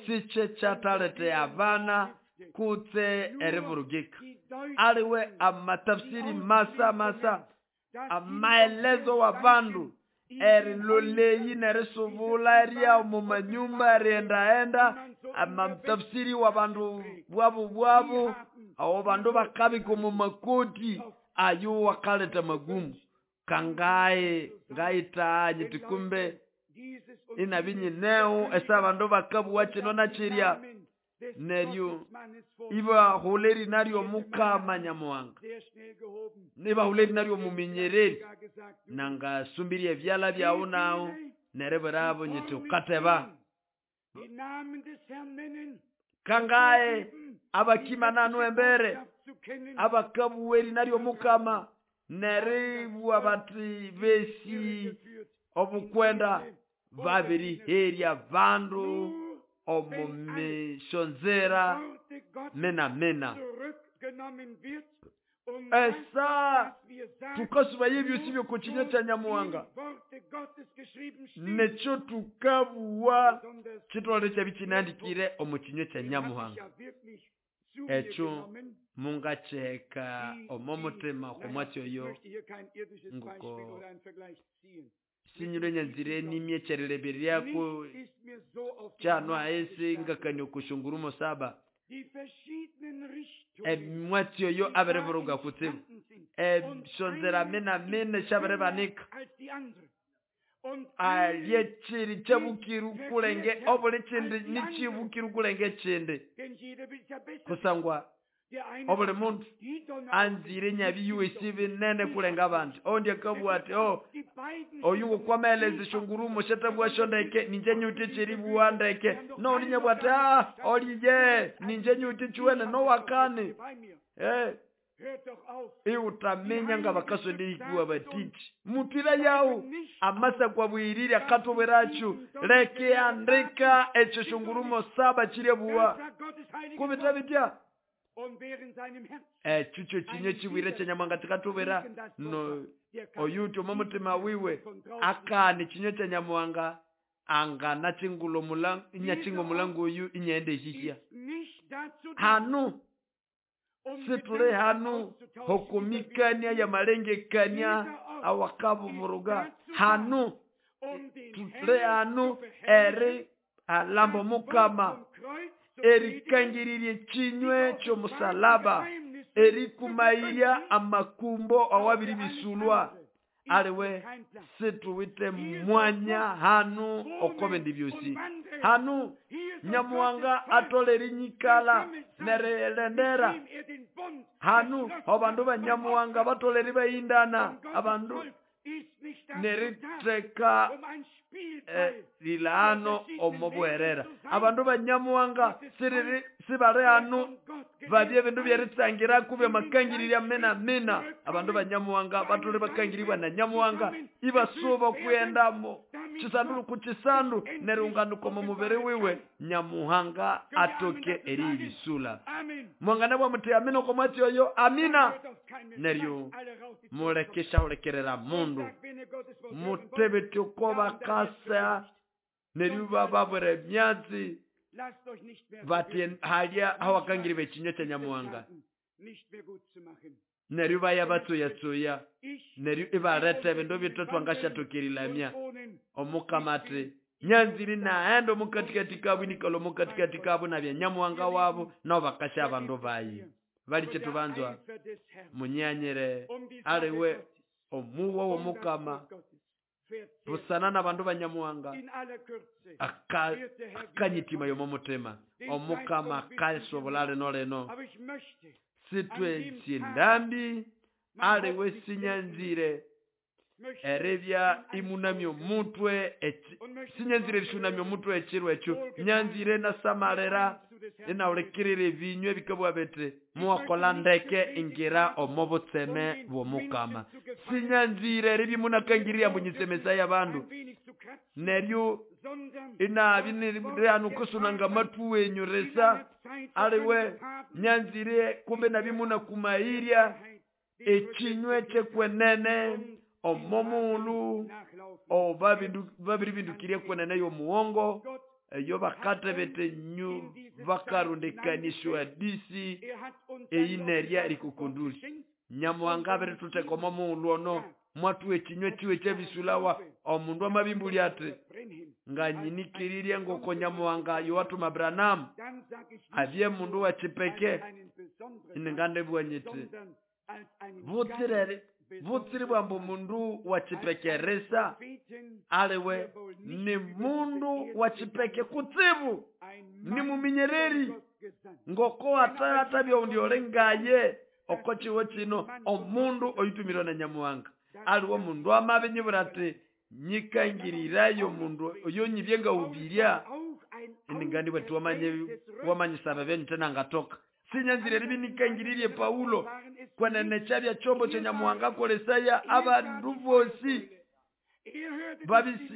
Speaker 2: sikye kyatalete abana kutse erivurugika. Aliwe amatafsiri masa masa amaelezo wa bandu eriloleyi nerisubula eria mu manyumba eriendaenda amatafsiri wa bandu bwabu bwabu abo bandu bakabika mu makoti ayo wakaleta magumu kangaye ngaitanye tikumbe inabinyineo esa bandu bakabuwa kino na kirya Neryo ibahula erina ly'omukama Nyamuhanga, nibahula erina ly'omuminyereri. Nangasumbirie ebyala byawu nawu neribwirabo nyiti ukateba. Kangahe abakimananu embere abakabuwa erina ly'omukama neribwa bati besi obukwenda babiriherya bandu omu mishonzera mena mena. Esa tukasubaye ebyosi by'okukinywa kya Nyamuhanga nekyo tukabuwa kitolere kyabi kinandikire omu kinywa kya Nyamuhanga. Ekyo mungakiheka omo mutima okomwatsi oyo nguko sinyilwe nyanzire nimye kyerileberyako kyano ahisi ngakania okushungurumo saba. Emwatsi oyo abiriburuga kutsibu eshonzera mena mena syabiribanika alye kiri kyabukiru kulenge obuli kindi nikibukiru kulenge kindi kusangwa obuli mundu anzire nyabi yuwesi binene kulenga abandi. Ondi akabugha ati oh oyu ngokwameleza eshongurumo syatabugha syondeke ninje nyuwithe ekyeribugha ndeke. Nondi nyabugha ati ah oliye ninje nyuwithe ekyuwene nowakani. Iwutaminya nga bakasonda erihikibwa batiki. Mutwira yawu amasa kwabwirire akatubwirakyo leke andika ekyo shungurumo saba kiryebuwa kubita bitya. Ekyo kyo kinywa kibwire kya Nyamuhanga kikatubwira no oyuti omo mutima wiwe akana ekinywa kya Nyamuhanga angana chingula omulango inyachinga omulango oyu inyaenda ehihya. Hanu situle hanu hokumikania ya malengekania awakabuvuruga. Hanu tule hanu eri alamba mukama erikangiririe kinywe ky'omusalaba erikumairya amakumbo awabiri bisulwa. Aliwe situwite mwanya hanu okobindi byosi. Hanu Nyamuhanga atole erinyikala nerelendera. Hanu abandu ba Nyamuhanga batole eribayindana abandu neriteka lilano omo bwerera. Abandu ba Nyamuhanga siriri sibali hanu babye ebindu byeritsangira kubya makangirirya mena mena. Abandu ba Nyamuhanga batole bakangiribwa na Nyamuhanga ibasuba okuyendamo kisandu ku kisandu nerunganuka omu mubiri wiwe Nyamuhanga atoke eribisula. Mwangana bwa muti amina okomwatsi oyo amina. Neryo mulekesha ulekerera mundu mutebete uko bakasa neryo bababwira emyatsi bati halya hawakangiri bekinywa kya Nyamuhanga. Neryo baya batsuya-tsuya neryo ibaleta ebindu bitu twangashathukirilhamya. Omukama ati nyanziri naghenda omukatikati kabu inikala omukatikati kabu nabya Nyamuhanga wabu nabo bakasya abandu bayi. Bali kyetubanzwa munyanyire aliwe omuwa w'omukama busana n'abandu ba Nyamuhanga akanyitima y'omu mutima. Omukama akasobora lino lino sitwe sindambi aliwe sinyanzire eribya imunamya omutwe sinyanzire erishunamya omutwe ekiro ekyo nyanzire nasamalira inawulikirira ebinywa ebikabugha biti muwakola ndeke ingira omo butseme bw'omukama. Sinyanzire eribya imunakangirira ambu nyisemesaya abandu neryo inabi nirihanu kusunanga amatu wenyu risa aliwe nyanzire kumbe nabi munakumairya ekinywa kyekwenene omo muulu o babiri bindukirie kwenene y'omuwongo eyo bakatebete nyu bakarundikanishwa disi eyinerya erikukunduli. Nyamuhanga abiritutheka omo muulu ono mwathuha ekinywa kiwe kyebisulawa. Omundu amabimbulya ati nganyinikirirye ngoko Nyamuhanga yowathuma Abrahamu abye mundu wa kipeke iningandibugha nyiti butsire bwambu mundu wa kipeke risa aliwe ni mundu wa kipeke kutsibu ni muminyereri Ngoko atabya oundi oli ngaye oko kiwo kino omundu oyutumirwe na Nyamuhanga. Aliwe omundu amabinyibwira ati nyikangirirayo omundu oyo nyibye ngahubirya indi bwati wamanyisaba ebyo nangatoka. Sinyanzire eribya nikangiririe Paulo kwenene kyabya kyombo kya Nyamuhanga akolesaya abandu bosi babisi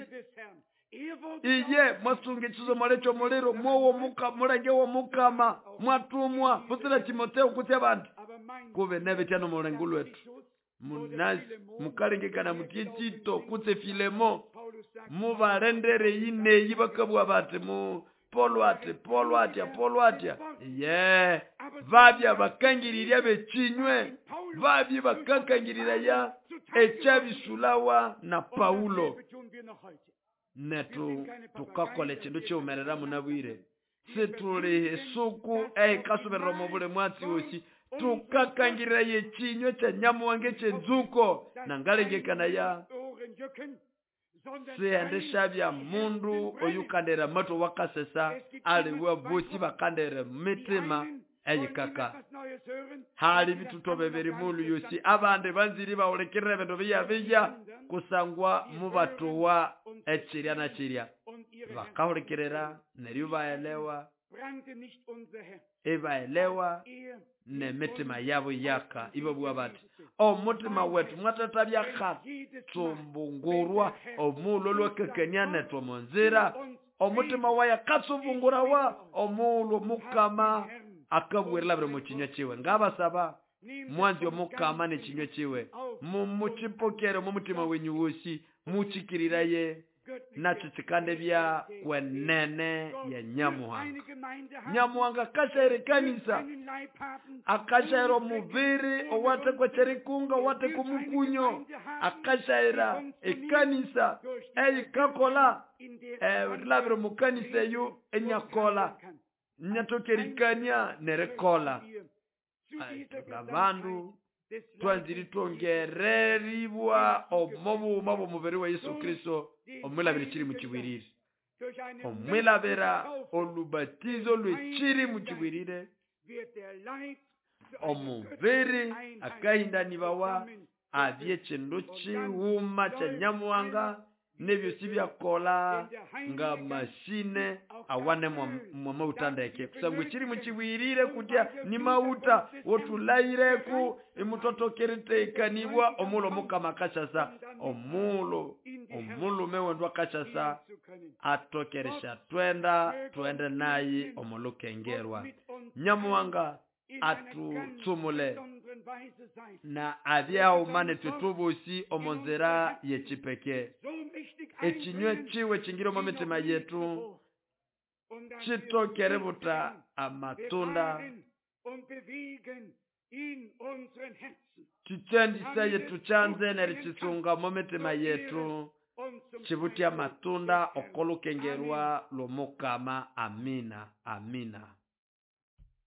Speaker 2: iye mwasunga ekisomole ky'omuliro mwowo mulenge w'omukama mwatumwa butsira Timoteo kutsi abandi kube nebitya n'omulengo lwetu munasi mukalengekana muti Tito kutse Filemo mubalendere yineyi bakabwa bati mu Paulo ati Paulo atya Paulo atya ye babya bakangirirya bekinywe babye bakakangiriraya ekyabisulawa na Paulo. Netu tukakola ekindu kiwumerera munabwire situli esuku ehikasuberera omu buli mwatsi wosi tukakangirira ekinywe kya Nyamuhanga eky'enzuko nangalengekanaya sihendesha mundu oyukandera amatu wakasesa aliwe bosi bakandera mitima eyikaka. Hali bitutobe biri mulu yosi abandi banziri bawulekirira ebindu biya kusangwa mubatowa ekirya na kirya bakahulekirira neryo baelewa ebaelewa nemitima yabo yaka ibabwa bati omutima wetu mwatatabya katsumbungurwa omulo lwakakania netwe munzira omutima waya katsumbungurawa omulo mukama akabwirira buli mukinywa kiwe. Ngabasaba mwanzi omukama nekinywa kiwe mumuchipokere mumutima wenyu wosi muchikiriraye nakyo kikande bya kwenene ya Nyamuhanga. Nyamuhanga akashaira ekanisa akashaira omubiri owatekwa kyerikunga owatekwa omukunyo akashaira ekanisa eyikakola rilabira omukanisa eyo enyakola nyatokerikania nerikola. Ngabandu twanziri twongereribwa omubuuma bw'omubiri wa Yesu Kristo omwilabira ekiri mukibwirire omwilabira olubatizo lw'ekiri mukibwirire omubiri akahindanibawa abye ekindu kiwuma kya Nyamuhanga nebyosi byakola nga mashine awane mwamauta ndeke kusangwa ekiri mukibwirire kutya ni mauta wotulayireku imutotokeritekaniibwa omulo mukama akashasa omulo omulume wendu akashasa atokeresha twenda twende naye omulukengerwa. Nyamuhanga atutsumule na abyaumane tutubusi omunzira yekipeke ekinywe kiwe kingire omu mitima yetu kitokere buta amatunda kichendisaye tuchanze nerikisunga mu mitima yetu kibutya amatunda okolukengerwa lw'omukama. Amina, amina.